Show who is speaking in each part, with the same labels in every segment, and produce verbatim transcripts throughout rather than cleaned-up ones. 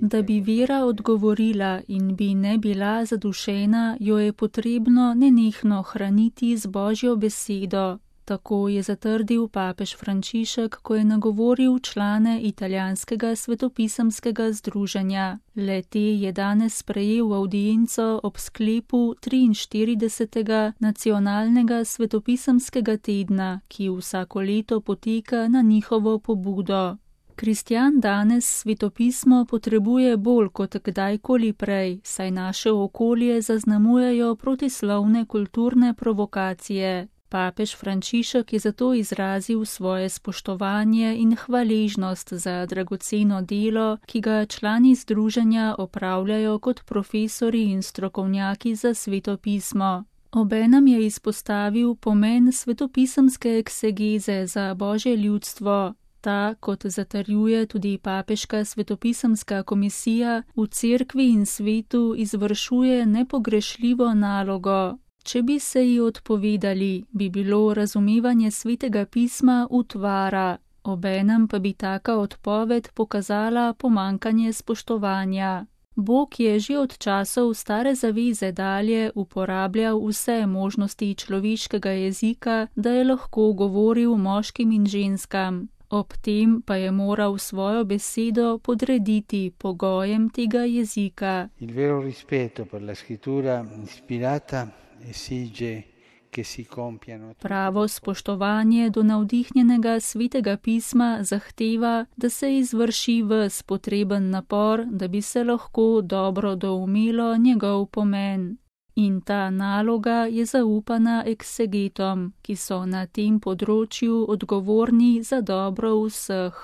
Speaker 1: Da bi vera odgovorila in bi ne bila zadušena, jo je potrebno nenehno hraniti z Božjo besedo. Tako je zatrdil papež Frančišek, ko je nagovoril člane italijanskega svetopisemskega združenja. Le-te je danes sprejel avdienco ob sklepu triinštiridesetega nacionalnega svetopisemskega tedna, ki vsako leto poteka na njihovo pobudo. Kristjan danes svetopismo potrebuje bolj kot kdajkoli prej, saj naše okolje zaznamujejo protislovne kulturne provokacije. Papež Frančišek je zato izrazil svoje spoštovanje in hvaležnost za dragoceno delo, ki ga člani združenja opravljajo kot profesori in strokovnjaki za svetopismo. Obenem je izpostavil pomen svetopisemske eksegeze za Božje ljudstvo. Ta, kot zatrjuje tudi papeška svetopisemska komisija, v cerkvi in svetu izvršuje nepogrešljivo nalogo. Če bi se ji odpovedali, bi bilo razumevanje svetega pisma utvara, obenem pa bi taka odpoved pokazala pomankanje spoštovanja. Bog je že od časov stare zaveze dalje uporabljal vse možnosti človeškega jezika, da je lahko govoril moškim in ženskam. Ob tem pa je moral svojo besedo podrediti pogojem tega jezika.
Speaker 2: Il vero rispetto per la scrittura ispirata esige che si compiano.
Speaker 1: Pravo spoštovanje do navdihnjenega svetega pisma zahteva, da se izvrši ves potreben napor, da bi se lahko dobro doumelo njegov pomen. In ta naloga je zaupana eksegetom, ki so na tem področju odgovorni za dobro vseh.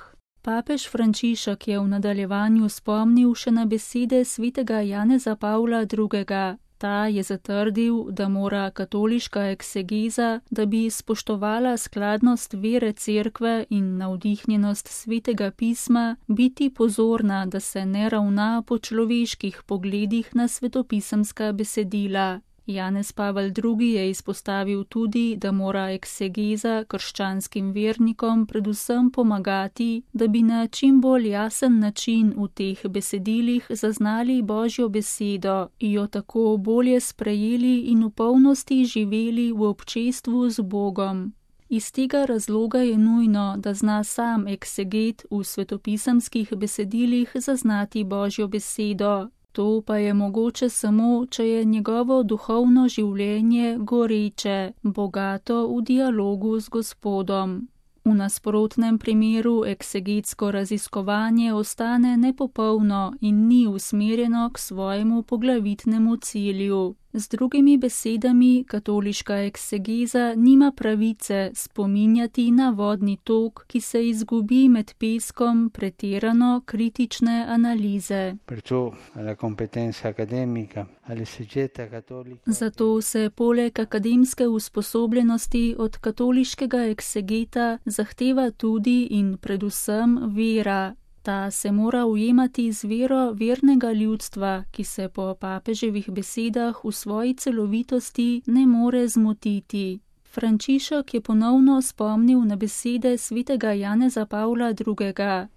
Speaker 1: Papež Frančišek je v nadaljevanju spomnil še na besede svetega Janeza Pavla drugega. Ta je zatrdil, da mora katoliška eksegeza, da bi spoštovala skladnost vere cerkve in navdihnjenost svetega pisma, biti pozorna, da se ne ravna po človeških pogledih na svetopisemska besedila. Janez Pavel drugi je izpostavil tudi, da mora eksegeza krščanskim vernikom predvsem pomagati, da bi na čim bolj jasen način v teh besedilih zaznali Božjo besedo, jo tako bolje sprejeli in v polnosti živeli v občestvu z Bogom. Iz tega razloga je nujno, da zna sam ekseget v svetopisemskih besedilih zaznati Božjo besedo. To pa je mogoče samo, če je njegovo duhovno življenje goreče, bogato v dialogu z Gospodom. V nasprotnem primeru eksegetsko raziskovanje ostane nepopolno in ni usmerjeno k svojemu poglavitnemu cilju. Z drugimi besedami, katoliška eksegeza nima pravice spominjati na vodni tok, ki se izgubi med peskom pretirano kritične analize. Zato se poleg akademske usposobljenosti od katoliškega eksegeta zahteva tudi in predvsem vera. Ta se mora ujemati z vero vernega ljudstva, ki se po papeževih besedah v svoji celovitosti ne more zmotiti. Frančišek je ponovno spomnil na besede svetega Janeza Pavla drugega.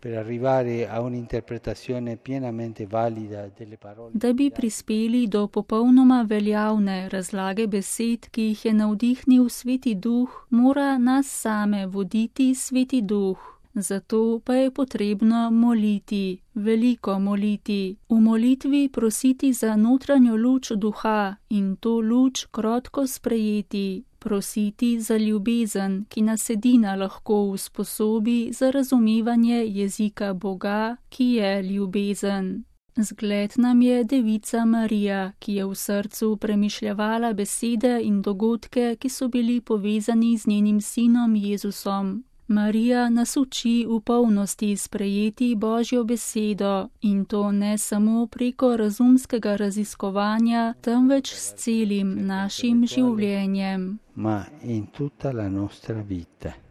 Speaker 1: Da bi prispeli do popolnoma veljavne razlage besed, ki jih je navdihnil Sveti Duh, mora nas same voditi Sveti Duh. Zato pa je potrebno moliti, veliko moliti. V molitvi prositi za notranjo luč duha in to luč krotko sprejeti. Prositi za ljubezen, ki nas edina lahko usposobi za razumevanje jezika Boga, ki je ljubezen. Zgled nam je Devica Marija, ki je v srcu premišljevala besede in dogodke, ki so bili povezani z njenim sinom Jezusom. Marija nas uči v polnosti sprejeti Božjo besedo in to ne samo preko razumskega raziskovanja, temveč s celim našim življenjem.
Speaker 2: Ma in tutta la nostra vita.